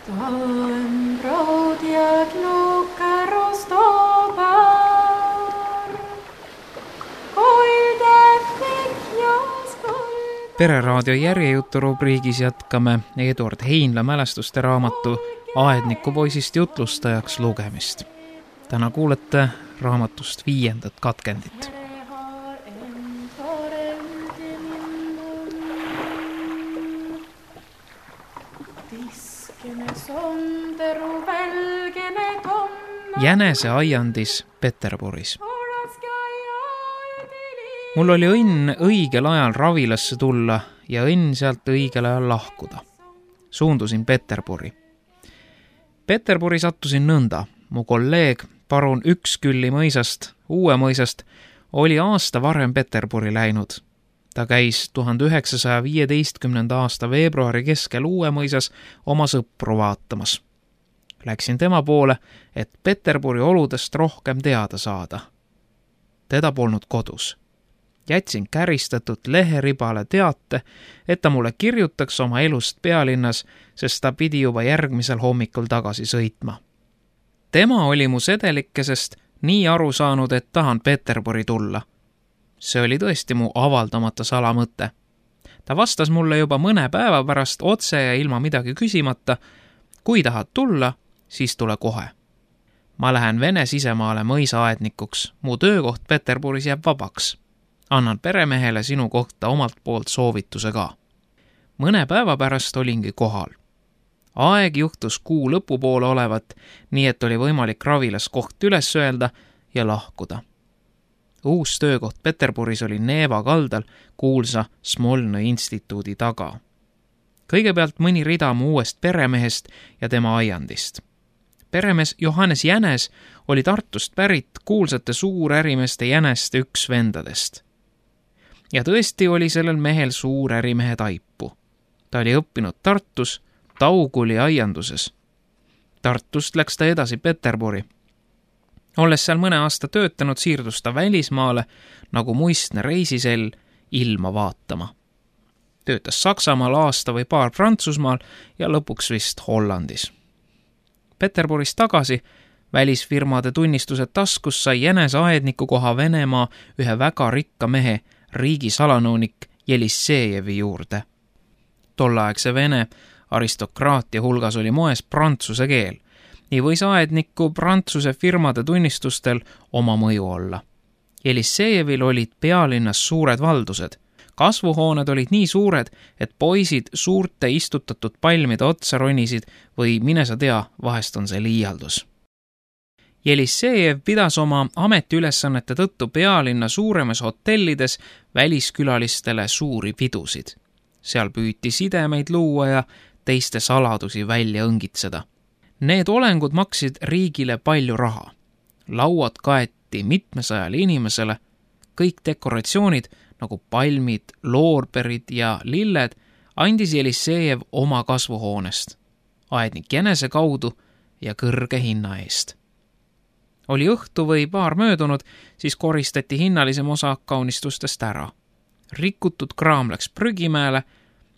Stałem brod jak luka roztobar, koilde fikjas koilde. Pereraadio järjejutu rubriigis jätkame Eduard Heinla mälestuste raamatu Aedniku poisist jutlustajaks lugemist. Täna kuulete raamatust 5. katkendit. Jänese aiandis Peterburis. Mul oli õnn õigel ajal Ravilasse tulla ja õnn sealt õigel ajal lahkuda. Suundusin Peterburi. Peterburi sattusin nõnda. Mu kolleeg parun Ükskülli mõisast, Uue mõisast, oli aasta varem Peterburi läinud. Ta käis 1915. aasta veebruari keskel Uue mõisas oma sõpru vaatamas. Läksin tema poole, et Peterburi oludest rohkem teada saada. Teda polnud kodus. Jätsin käristatud leheribale teate, et ta mulle kirjutaks oma elust pealinnas, sest ta pidi juba järgmisel hommikul tagasi sõitma. Tema oli mu sedelikesest nii aru saanud, et tahan Peterburi tulla. See oli tõesti mu avaldamata salamõte. Ta vastas mulle juba mõne päeva pärast otse ja ilma midagi küsimata, kui tahad tulla, siis tule kohe. Ma lähen Vene sisemaale mõisaaednikuks, mu töökoht Peterburis jääb vabaks. Annan peremehele sinu kohta omalt poolt soovituse ka. Mõne päeva pärast olingi kohal. Aeg juhtus kuu lõpupoole olevat, nii et oli võimalik Ravilas koht üles öelda ja lahkuda. Uus töökoht Peterburis oli Neeva kaldal kuulsa Smolnõi instituudi taga. Kõigepealt mõni rida mu uuest peremehest ja tema aiandist. Peremees Johannes Jänes oli Tartust pärit kuulsate suurärimeeste Jäneste üks vendadest. Ja tõesti oli sellel mehel suur ärimehe taipu. Ta oli õppinud Tartus, Tauguli aianduses. Tartust läks ta edasi Peterburi. Olles seal mõne aasta töötanud, siirdus ta välismaale, nagu muistne reisisell, ilma vaatama. Töötas Saksamaal aasta või paar Prantsusmaal ja lõpuks vist Hollandis. Peterburis tagasi, välisfirmade tunnistused taskus, sai Jänese aedniku koha Venemaa ühe väga rikka mehe, riigisalanõunik Jelissejevi juurde. Tolleaegse Vene aristokraatia hulgas oli moes prantsuse keel. Nii võis aedniku prantsuse firmade tunnistustel oma mõju olla. Jelissejevil olid pealinnas suured valdused. Kasvuhooned olid nii suured, et poisid suurte istutatud palmide otsa ronisid või mine sa tea, vahest on see liialdus. Jelissejev pidas oma ametiülesannete tõttu pealinna suuremas hotellides väliskülalistele suuri pidusid. Seal püüti sidemeid luua ja teiste saladusi välja õngitseda. Need olengud maksid riigile palju raha. Lauad kaeti mitmesajale inimesele, kõik dekoratsioonid nagu palmid, loorberid ja lilled andis Jelissejev oma kasvuhoonest, aednik Jänese kaudu ja kõrge hinna eest. Oli õhtu või paar möödunud, siis koristati hinnalisem osa kaunistustest ära. Rikutud kraam läks prügimäele,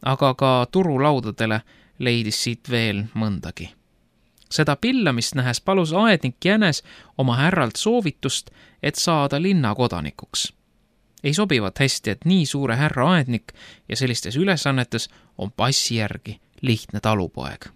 aga ka turulaudadele leidis siit veel mõndagi. Seda pillamist nähes palus aednik Jänes oma härralt soovitust, et saada linnakodanikuks. Ei sobivat hästi, et nii suure härra aednik ja sellistes ülesannetes on passi järgi lihtne talupoeg.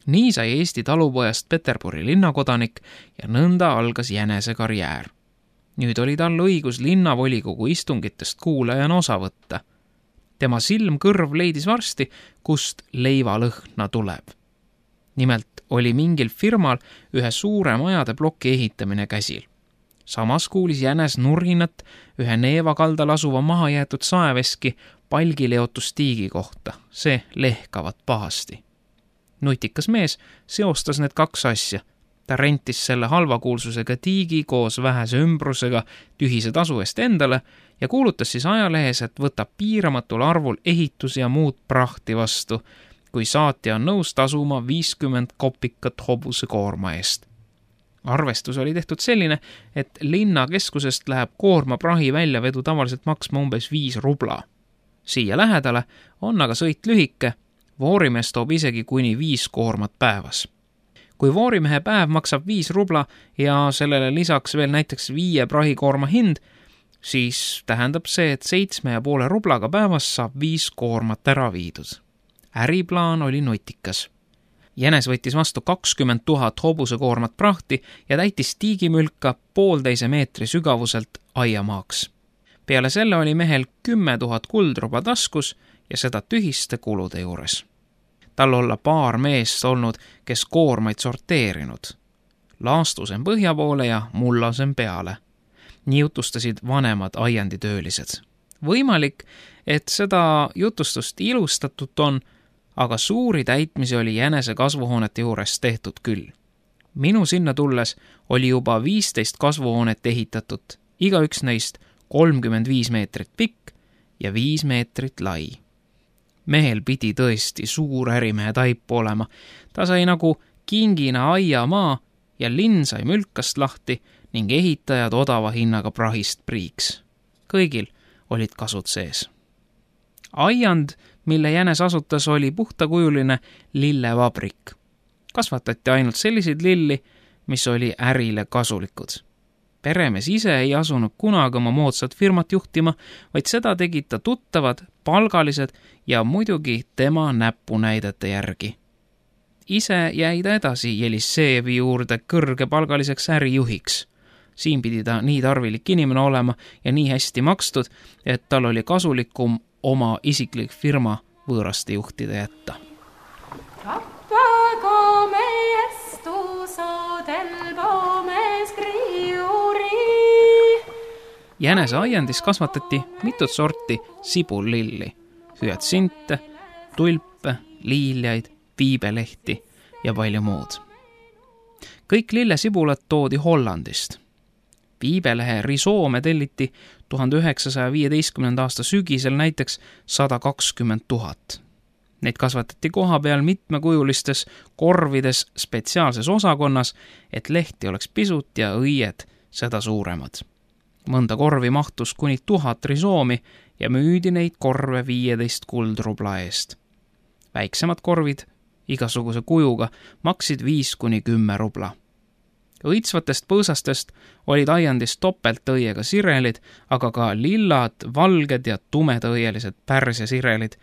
Nii sai Eesti talupojast Peterburi linnakodanik ja nõnda algas Jänese karjäär. Nüüd oli tal õigus linnavolikogu istungitest kuulajana osa võtta. Tema silmkõrv leidis varsti, kust leivalõhna tuleb. Nimelt oli mingil firmal ühe suure majade ploki ehitamine käsil. Samas kuulis Jänes nurinat ühe Neeva kaldal asuva mahajäetud saeveski palgileotustiigi kohta. See lehkavat pahasti. Nutikas mees seostas need kaks asja. Ta rentis selle halvakuulsusega tiigi koos vähese ümbrusega tühise tasu eest endale ja kuulutas siis ajalehes, et võtab piiramatul arvul ehitusi ja muud prahti vastu, kui saatja on nõus tasuma 50 kopikat hobuse koorma eest. Arvestus oli tehtud selline, et linnakeskusest läheb koorma prahi väljavedu tavaliselt maksma umbes 5 rubla. Siia lähedale on aga sõit lühike, Voorimees toob isegi kuni 5 koormat päevas. Kui voorimehe päev maksab 5 rubla ja sellele lisaks veel näiteks 5 prahikoorma hind, siis tähendab see, et 7,5 rublaga päevas saab 5 koormat ära viidud. Äriplaan oli nutikas. Jänes võttis vastu 20 000 hobusekoormat prahti ja täitis tiigimülka 1,5 meetri sügavuselt aiamaaks. Peale selle oli mehel 10 000 kuldruba taskus ja seda tühiste kulude juures. Tal olla paar meest olnud, kes koormaid sorteerinud. Laastusem põhja poole ja mullasem peale. Nii jutustasid vanemad aianditöölised. Võimalik, et seda jutustust ilustatut on, aga suuri täitmisi oli Jänese kasvuhoonete juures tehtud küll. Minu sinna tulles oli juba 15 kasvuhoonet ehitatud, igaüks neist 35 meetrit pikk ja 5 meetrit lai. Mehel pidi tõesti suur ärimehe taipu olema. Ta sai nagu kingina aiamaa ja linn sai mülkast lahti ning ehitajad odava hinnaga prahist priiks. Kõigil olid kasud sees. Aiand, mille Jänes asutas, oli puhtakujuline lillevabrik. Kasvatati ainult selliseid lilli, mis oli ärile kasulikud. Peremees ise ei asunud kunagi oma moodsat firmat juhtima, vaid seda tegid ta tuttavad, palgalised ja muidugi tema näpunäidete järgi. Ise jäi ta edasi Jelisseevi juurde kõrgepalgaliseks ärijuhiks. Siin pidi ta nii tarvilik inimene olema ja nii hästi makstud, et tal oli kasulikum oma isiklik firma võõraste juhtida jätta. Rappago meestuso del pomes criuri. Jänese aiandis kasvatati mitut sorti sibullilli, hüatsinte, tulpe, liiljaid, viibelehti ja palju muud. Kõik lillesibulad toodi Hollandist. Viibelehe risoome telliti 1915. aasta sügisel näiteks 120 000. Neid kasvatati koha peal mitmekujulistes korvides spetsiaalses osakonnas, et lehti oleks pisut ja õied seda suuremad. Mõnda korvi mahtus kuni 1000 risoomi ja müüdi neid korve 15 kuldrubla eest. Väiksemad korvid igasuguse kujuga maksid 5-10 rubla. Õitsvatest põõsastest olid aiandis topeltõiega sirelid, aga ka lillad, valged ja tumedõielised pärsia sirelid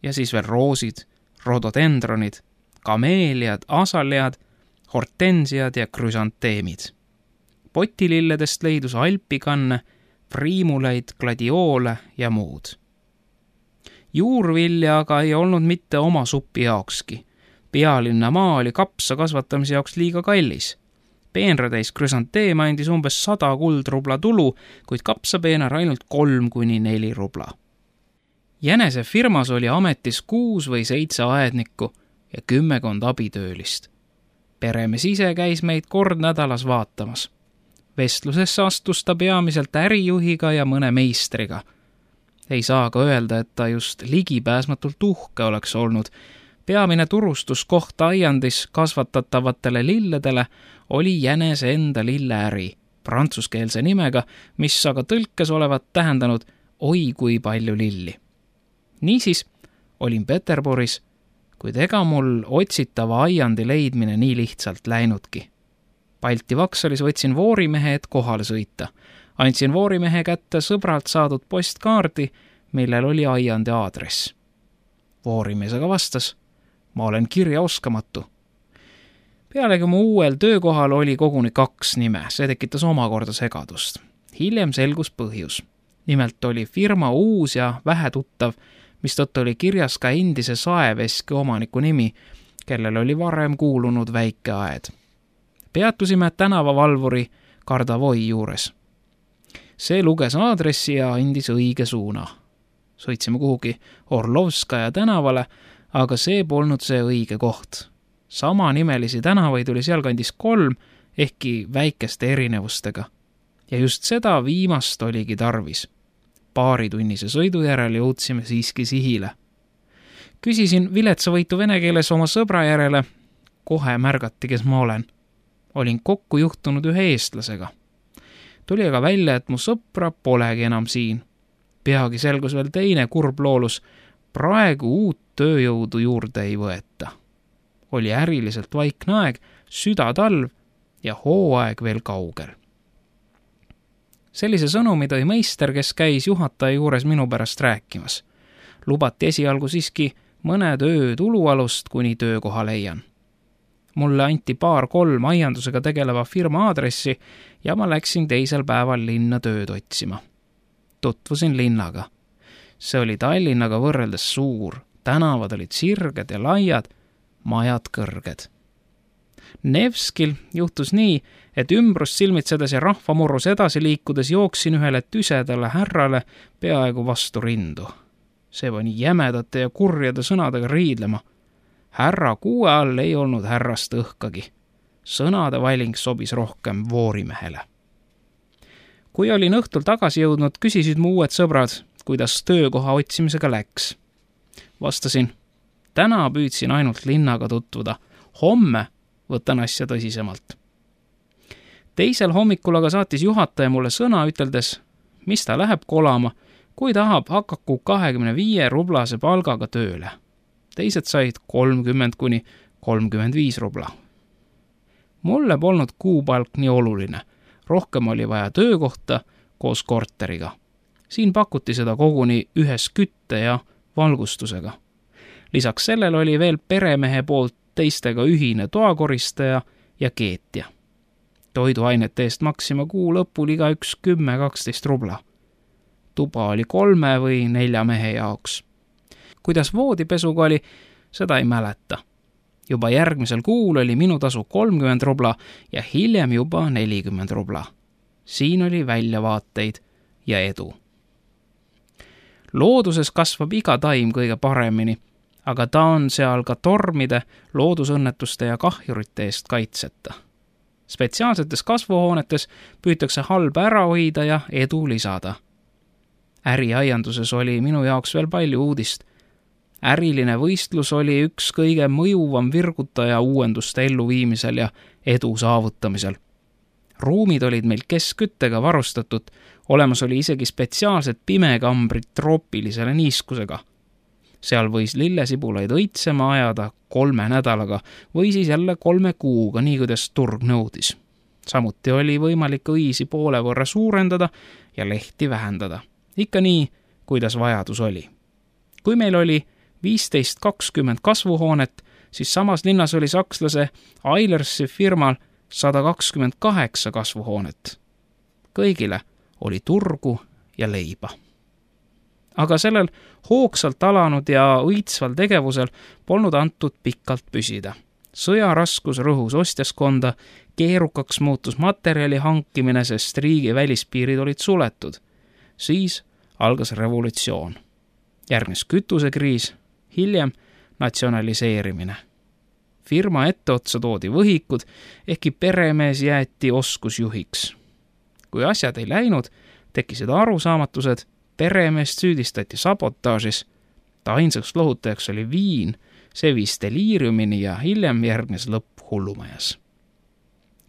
ja siis veel roosid, rododendronid, kameeliad, asalead, hortensiad ja krüsanteemid. Potililledest leidus alpikanne, priimuleid, gladioole ja muud. Juurvilja aga ei olnud mitte oma supi jaokski. Pealinna maa oli kapsa kasvatamise jaoks liiga kallis. Peenratäis krüsanteem andis umbes 100 kuldrubla tulu, kuid kapsapeenar ainult 3-4 rubla. Jänese firmas oli ametis 6 või 7 aednikku ja 10 abitöölist. Peremees ise käis meid kord nädalas vaatamas. Vestlusesse astus ta peamiselt ärijuhiga ja mõne meistriga. Ei saa ka öelda, et ta just ligipääsmatult uhke oleks olnud. Peamine turustuskoht aiandis kasvatatavatele lilledele oli Jänese enda lilleäri, prantsuskeelse nimega, mis aga tõlkes olevat tähendanud oi kui palju lilli. Niisiis olin Peterburis, kuid ega mul otsitava aiandi leidmine nii lihtsalt läinudki. Balti Vaksalis võtsin voorimehe, et kohale sõita. Andsin voorimehe kätte sõbralt saadud postkaardi, millel oli aiandi aadress. Voorimees aga vastas, ma olen kirjaoskamatu. Pealegi mu uuel töökohal oli koguni 2 nime, see tekitas omakorda segadust. Hiljem selgus põhjus. Nimelt oli firma uus ja vähetuttav, mistõttu oli kirjas ka endise saeveski omaniku nimi, kellel oli varem kuulunud väike aed. Peatusime tänavavalvuri Kardavoi juures. See luges aadressi ja andis õige suuna. Sõitsime kuhugi Orlovskaja tänavale, aga see polnud see õige koht. Sama nimelisi tänavaid oli sealkandis 3, ehkki väikeste erinevustega. Ja just seda viimast oligi tarvis. Paaritunnise sõidu järel jõudsime siiski sihile. Küsisin viletsavõitu vene keeles oma sõbra järele. Kohe märgati, kes ma olen. Olin kokku juhtunud ühe eestlasega. Tuli aga välja, et mu sõpra polegi enam siin. Peagi selgus veel teine kurb loolus. praegu uut tööjõudu juurde ei võeta. Oli äriliselt vaikne aeg, südatalv ja hooaeg veel kaugel. Sellise sõnumi tõi meister, kes käis juhataja juures minu pärast rääkimas. Lubati esialgu siiski mõned öö tulualust, kuni töökoha leian. Mulle anti 2-3 aiandusega tegeleva firma aadressi ja ma läksin teisel päeval linna tööd otsima. Tutvusin linnaga. See oli Tallinnaga võrreldes suur, tänavad olid sirged ja laiad, majad kõrged. Nevskil juhtus nii, et ümbrust silmitsedes ja rahvamurrus edasi liikudes jooksin ühele tüsedale härrale peaaegu vastu rindu. See pani jämedate ja kurjade sõnadega riidlema. Härra kuue all ei olnud härrast õhkagi. Sõnade valing sobis rohkem voorimehele. Kui olin õhtul tagasi jõudnud, küsisid mu uued sõbrad, kuidas töökoha otsimisega läks. Vastasin, täna püüdsin ainult linnaga tutvuda. Homme võtan asja tõsisemalt. Teisel hommikul aga saatis juhataja mulle sõna, üteldes, mis ta läheb kolama, kui tahab, hakaku 25 rublase palgaga tööle. Teised said 30–35 rubla. Mulle polnud kuupalk nii oluline. Rohkem oli vaja töökohta koos korteriga. Siin pakuti seda koguni ühes kütte ja valgustusega. Lisaks sellele oli veel peremehe poolt teistega ühine toakoristaja ja keetja. Toiduainete eest maksima kuu lõpul iga üks 10–12 rubla. Tuba oli 3 või 4 mehe jaoks. Kuidas voodipesuga oli, seda ei mäleta. Juba järgmisel kuul oli minu tasu 30 rubla ja hiljem juba 40 rubla. Siin oli väljavaateid ja edu. Looduses kasvab iga taim kõige paremini, aga ta on seal ka tormide, loodusõnnetuste ja kahjurite eest kaitseta. Spetsiaalsetes kasvuhoonetes püütakse halba ära hoida ja edu lisada. Äriaianduses oli minu jaoks veel palju uudist. Äriline võistlus oli üks kõige mõjuvam virgutaja uuenduste elluviimisel ja edu saavutamisel. Ruumid olid meil keskküttega varustatud, olemas oli isegi spetsiaalsed pimekambrid troopilisele niiskusega. Seal võis lillesibulaid õitsema ajada 3 nädalaga või siis jälle 3 kuuga, nii kuidas turg nõudis. Samuti oli võimalik õisi poole võrra suurendada ja lehti vähendada. Ikka nii, kuidas vajadus oli. Kui meil oli 15–20 kasvuhoonet, siis samas linnas oli sakslase Eilersi firmal 128 kasvuhoonet. Kõigile oli turgu ja leiba. Aga sellel hoogsalt alanud ja õitsval tegevusel polnud antud pikalt püsida. Sõjaraskus rõhus ostjaskonda, keerukaks muutus materjali hankimine, sest riigi välispiirid olid suletud. Siis algas revolutsioon. Järgnes kütusekriis, hiljem natsionaliseerimine. Firma etteotsa toodi võhikud, ehkki peremees jäeti oskusjuhiks. Kui asjad ei läinud, tekkisid arusaamatused, peremeest süüdistati sabotaažis. Ta ainsaks lohutajaks oli viin, see viis deliiriumini ja hiljem järgnes lõpp hullumajas.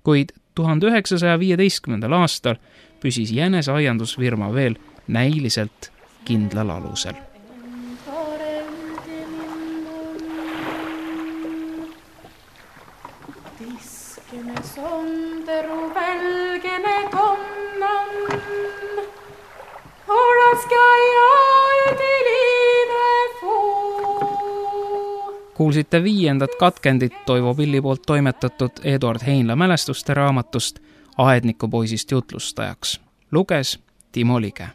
Kuid 1915. aastal püsis Jänese aiandusfirma veel näiliselt kindlal alusel. Tiskene sonderu välgene konnan, olaskaja üdilive fuu. Kuulsite 5. katkendit Toivo Pilli poolt toimetatud Eduard Heinla mälestuste raamatust Aednikupoisist jutlustajaks. Luges Timo Lige.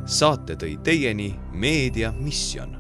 Saate tõi teieni Meedia Mission.